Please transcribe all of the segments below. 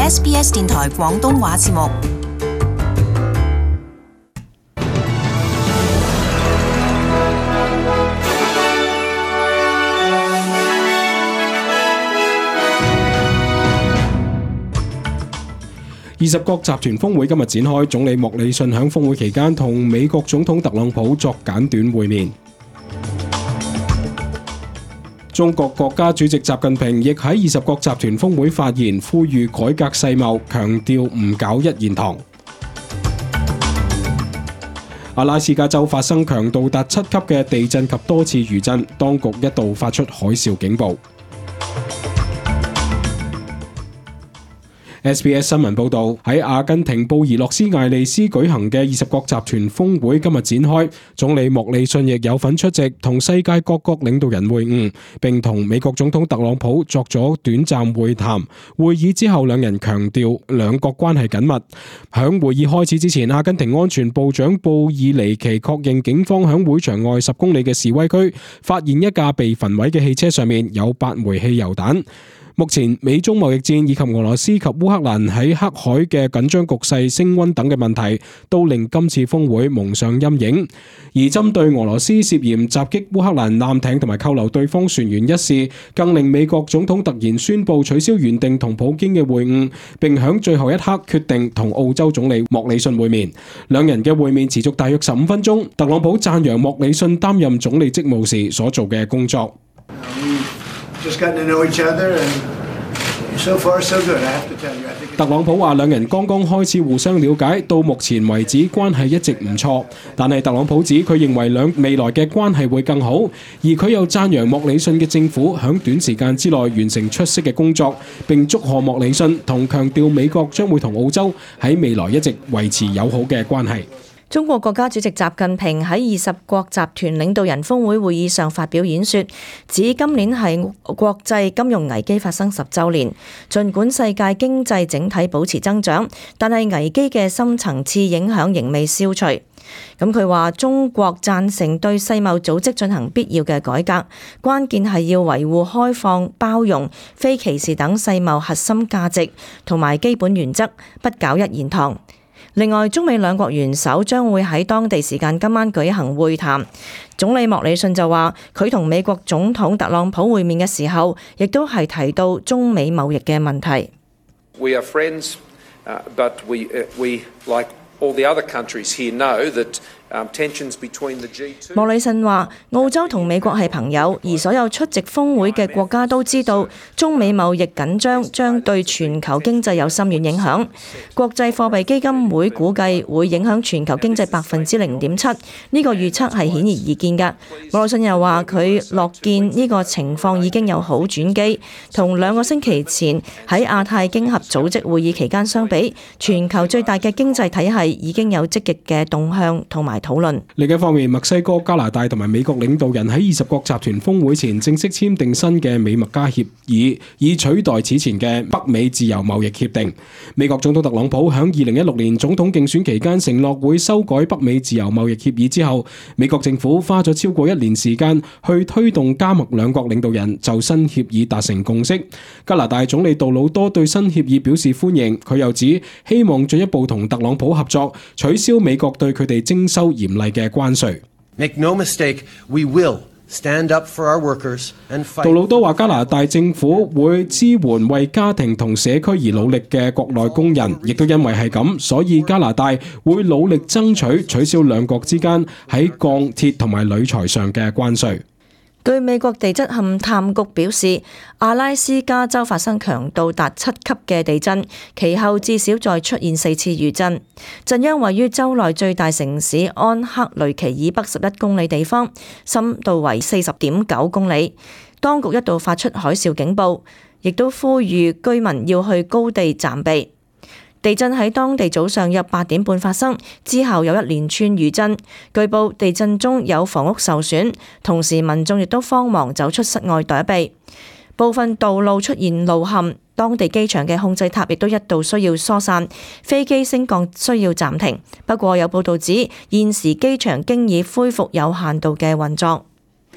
SBS 電台廣東話節目。20國集團峰會今日展開，總理莫里遜喺峰會期間同美國總統特朗普作簡短會面。中國國家主席習近平亦喺20國集團峰會發言，呼籲改革世貿，強調唔搞一言堂。阿拉斯加州發生強度達7級嘅地震及多次餘震，當局一度發出海嘯警報。SBS 新聞報導，喺阿根廷布宜諾斯艾利斯舉行嘅20國集團峰會今日展開，總理莫里遜亦有份出席，同世界各國領導人會晤，並同美國總統特朗普作咗短暫會談。會議之後，兩人強調兩國關係緊密。響會議開始之前，阿根廷安全部長布爾尼奇確認警方響會場外10公里嘅示威區發現一架被焚毀嘅汽車，上面有8枚汽油彈。目前美中貿易戰以及俄羅斯及烏克蘭喺黑海嘅緊張局勢升溫等嘅問題，都令今次峰會蒙上陰影。而針對俄羅斯涉嫌襲擊烏克蘭艦艇同埋扣留對方船員一事，更令美國總統突然宣布取消原定同普京嘅會晤，並響最後一刻決定同澳洲總理莫里遜會面。兩人嘅會面持續大約15分鐘。特朗普讚揚莫里遜擔任總理職務時所做嘅工作。特朗普話兩人剛剛開始互相了解，到目前為止關係一直唔錯，但係特朗普指佢認為未來嘅關係會更好，而佢又讚揚莫里遜嘅政府響短時間之內完成出色嘅工作，並祝賀莫里遜，同強調美國將會同澳洲喺未來一直維持友好嘅關係。中國國家主席習近平喺20國集團領導人峰會會議上發表演說，指今年係國際金融危機發生10週年。儘管世界經濟整體保持增長，但係危機嘅深層次影響仍未消除。咁佢話中國贊成對世貿組織進行必要嘅改革，關鍵係要維護開放、包容、非歧視等世貿核心價值同埋基本原則，不搞一言堂。另外，中美兩國元首將會喺當地時間今晚舉行會談。總理莫里遜就話，佢同美國總統特朗普會面嘅時候，亦都係提到中美貿易嘅問題。We are friends, but we like all the other countries here know that tensions between the G2。莫里遜話：澳洲同美國係朋友，而所有出席峰會嘅國家都知道，中美貿易緊張將對全球經濟有深遠影響。國際貨幣基金會估計會影響全球經濟0.7%，呢個預測係顯而易見㗎。莫里遜又話：佢樂見呢個情況已經有好轉機，同2個星期前喺亞太經合組織會議期間相比，全球最大嘅經濟體系已經有積極嘅動向同埋討論。另一方面，墨西哥、加拿大同埋美國領導人喺20國集團峰會前正式簽訂新嘅美墨加協議，以取代此前嘅北美自由貿易協定。美國總統特朗普喺2016年總統競選期間承諾會修改北美自由貿易協議之後，美國政府花咗超過1年時間去推動加墨兩國領導人就新協議達成共識。加拿大總理杜魯多對新協議表示歡迎，佢又指希望進一步同特朗普合作，取消美國對佢哋徵收嚴厲嘅關稅。Make no mistake, we will stand up for our workers and fight。杜魯多話加拿大政府會支援為家庭同社區而努力嘅國內工人，亦都因為係咁，所以加拿大會努力爭取取消兩國之間喺鋼鐵同埋鋁材上嘅關稅。據美國地質勘探局表示，阿拉斯加州發生強度達7級嘅地震，其後至少再出現4次餘震。震央位於州內最大城市安克雷奇以北11公里地方，深度為40.9公里。當局一度發出海嘯警報，亦都呼籲居民要去高地暫避。地震喺當地早上約8點半發生，之後有一連串餘震。據報地震中有房屋受損，同時民眾亦都慌忙走出室外躲避。部分道路出現路陷，當地機場嘅控制塔亦都一度需要疏散，飛機升降需要暫停。不過有報道指，現時機場經已恢復有限度嘅運作。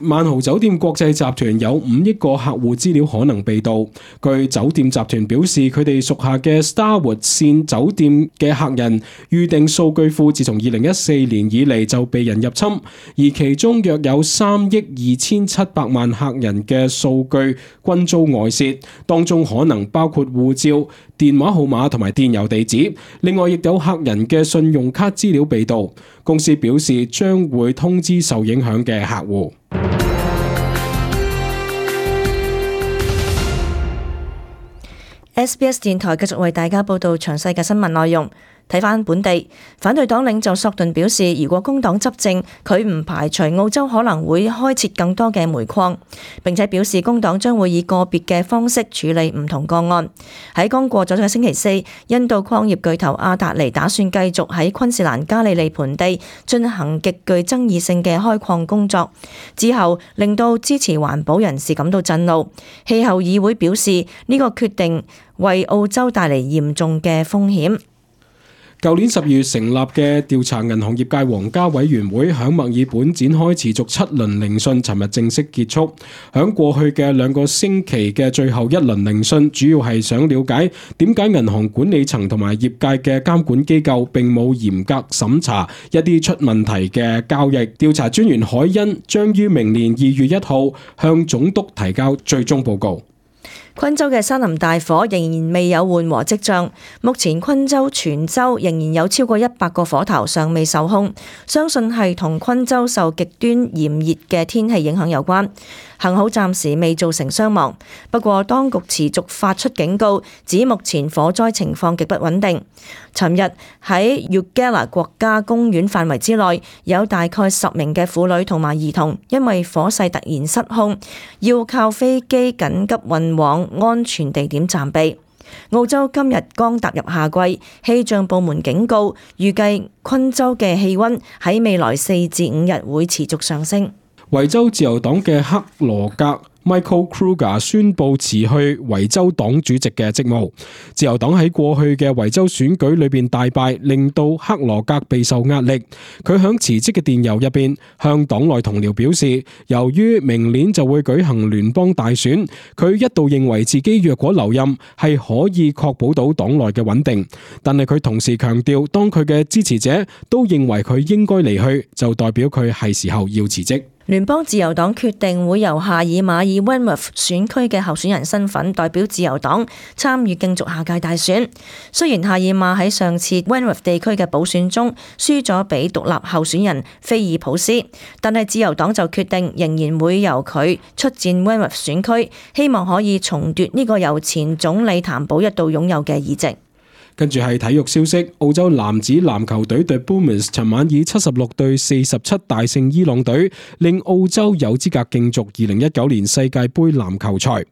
萬豪酒店國際集團有5億個客戶資料可能被盜。據酒店集團表示，佢哋屬下嘅 Starwood 線酒店嘅客人預訂數據庫自從2014年以嚟就被人入侵，而其中約有3億2700萬客人嘅數據均遭外泄，當中可能包括護照、電話號碼同埋電郵地址。另外，亦有客人嘅信用卡資料被盜。公司表示將會通知受影響嘅客戶。SBS 電台繼續為大家報道詳細嘅新聞內容。睇返本地，反對黨領袖索頓表示，如果工黨執政，佢唔排除澳洲可能會開設更多嘅煤礦，並且表示工黨將會以個別嘅方式處理唔同個案。喺剛過咗嘅星期四，印度礦業巨頭阿達尼打算繼續喺昆士蘭加利利盆地進行極具爭議性嘅開礦工作，之後令到支持環保人士感到震怒。氣候議會表示呢個決定為澳洲帶嚟嚴重嘅風險。舊年12月成立嘅調查銀行業界皇家委員會響墨爾本展開持續7輪聆訊，尋日正式結束。響過去嘅2個星期嘅最後一輪聆訊，主要係想了解點解銀行管理層同埋業界嘅監管機構並冇嚴格審查一啲出問題嘅交易。調查專員海恩將於明年2月1號向總督提交最終報告。昆州嘅山林大火仍然未有緩和跡象，目前昆州全州仍然有超過100個火頭尚未受控，相信係同昆州受極端炎熱嘅天氣影響有關。幸好暫時未造成傷亡，不過當局持續發出警告，指目前火災情況極不穩定。尋日喺 Eugala 國家公園範圍之內，有大概10名嘅婦女同埋兒童因為火勢突然失控，要靠飛機緊急運往安全地點暫避。澳洲今日剛踏入夏季，氣象部門警告，預計昆州嘅氣溫喺未來4至5日會持續上升。維州自由黨嘅克羅格 Michael Kruger 宣布辭去維州黨主席嘅職務。自由黨喺過去嘅維州選舉裏邊大敗，令到克羅格備受壓力。佢響辭職嘅電郵入邊向黨內同僚表示，由於明年就會舉行聯邦大選，佢一度認為自己若果留任係可以確保到黨內嘅穩定。但係佢同時強調，當佢嘅支持者都認為佢應該離去，就代表佢係時候要辭職。聯邦自由黨決定會由夏爾馬爾 Wentworth 選區嘅候選人身份代表自由黨參與競逐下屆大選。雖然夏爾馬喺上次 Wentworth 地區嘅補選中輸咗俾獨立候選人菲爾普斯，但係自由黨就決定仍然會由佢出戰 Wentworth 選區，希望可以重奪呢個由前總理譚寶一度擁有嘅議席。跟住係體育消息，澳洲男子籃球隊 The Boomers 尋晚以76-47大勝伊朗隊，令澳洲有資格競逐2019年世界盃籃球賽。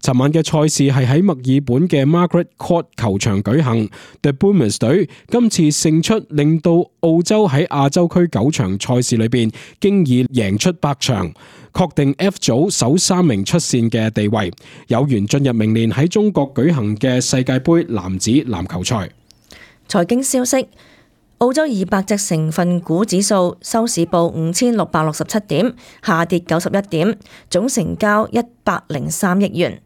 尋晚嘅賽事係喺墨爾本嘅 Margaret Court 球場舉行。The Boomers 隊今次勝出，令到澳洲喺亞洲區9場賽事裏邊，經已贏出8場，確定 F 組首3名出線嘅地位，有緣進入明年喺中國舉行嘅世界盃男子籃球賽。財經消息，澳洲200隻成分股指數收市報5667點，下跌91點，總成交103億元。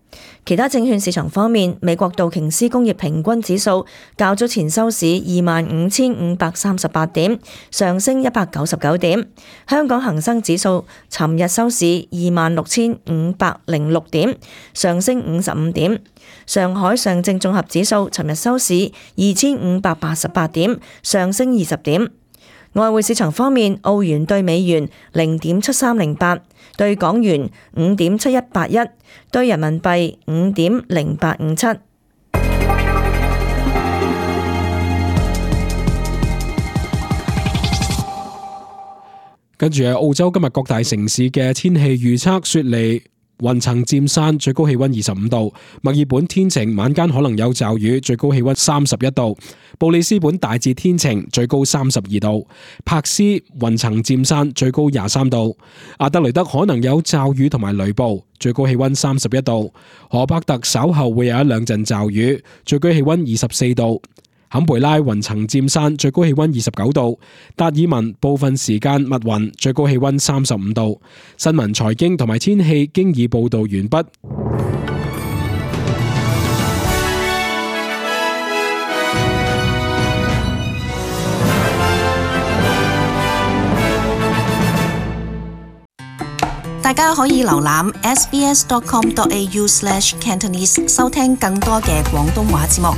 其他證券市場方面，美國道瓊斯工業平均指數較早前收市25,538點，上升199點。香港恒生指數尋日收市26,506點，上升55點。上海上證綜合指數尋日收市2,588點，上升20點。外匯市場方面，澳元對美元0.7308，對港元5.7181，對人民幣5.0857。跟住係澳洲今日各大城市嘅天氣預測，雪梨雲層佔山，最高氣溫25度；墨爾本天晴，晚間可能有驟雨，最高氣溫31度；布里斯本大致天晴，最高32度；柏斯雲層佔山，最高23度；阿德雷德可能有驟雨同埋雷暴，最高氣溫31度；荷伯特稍後會有1-2陣驟雨，最高氣溫24度；坎培拉雲層漸散，最高氣溫29度；達爾文部分時間密雲，最高氣溫35度。新聞、財經同埋天氣經已報道完畢。大家可以瀏覽 sbs.com.au/cantonese 收聽更多嘅廣東話節目。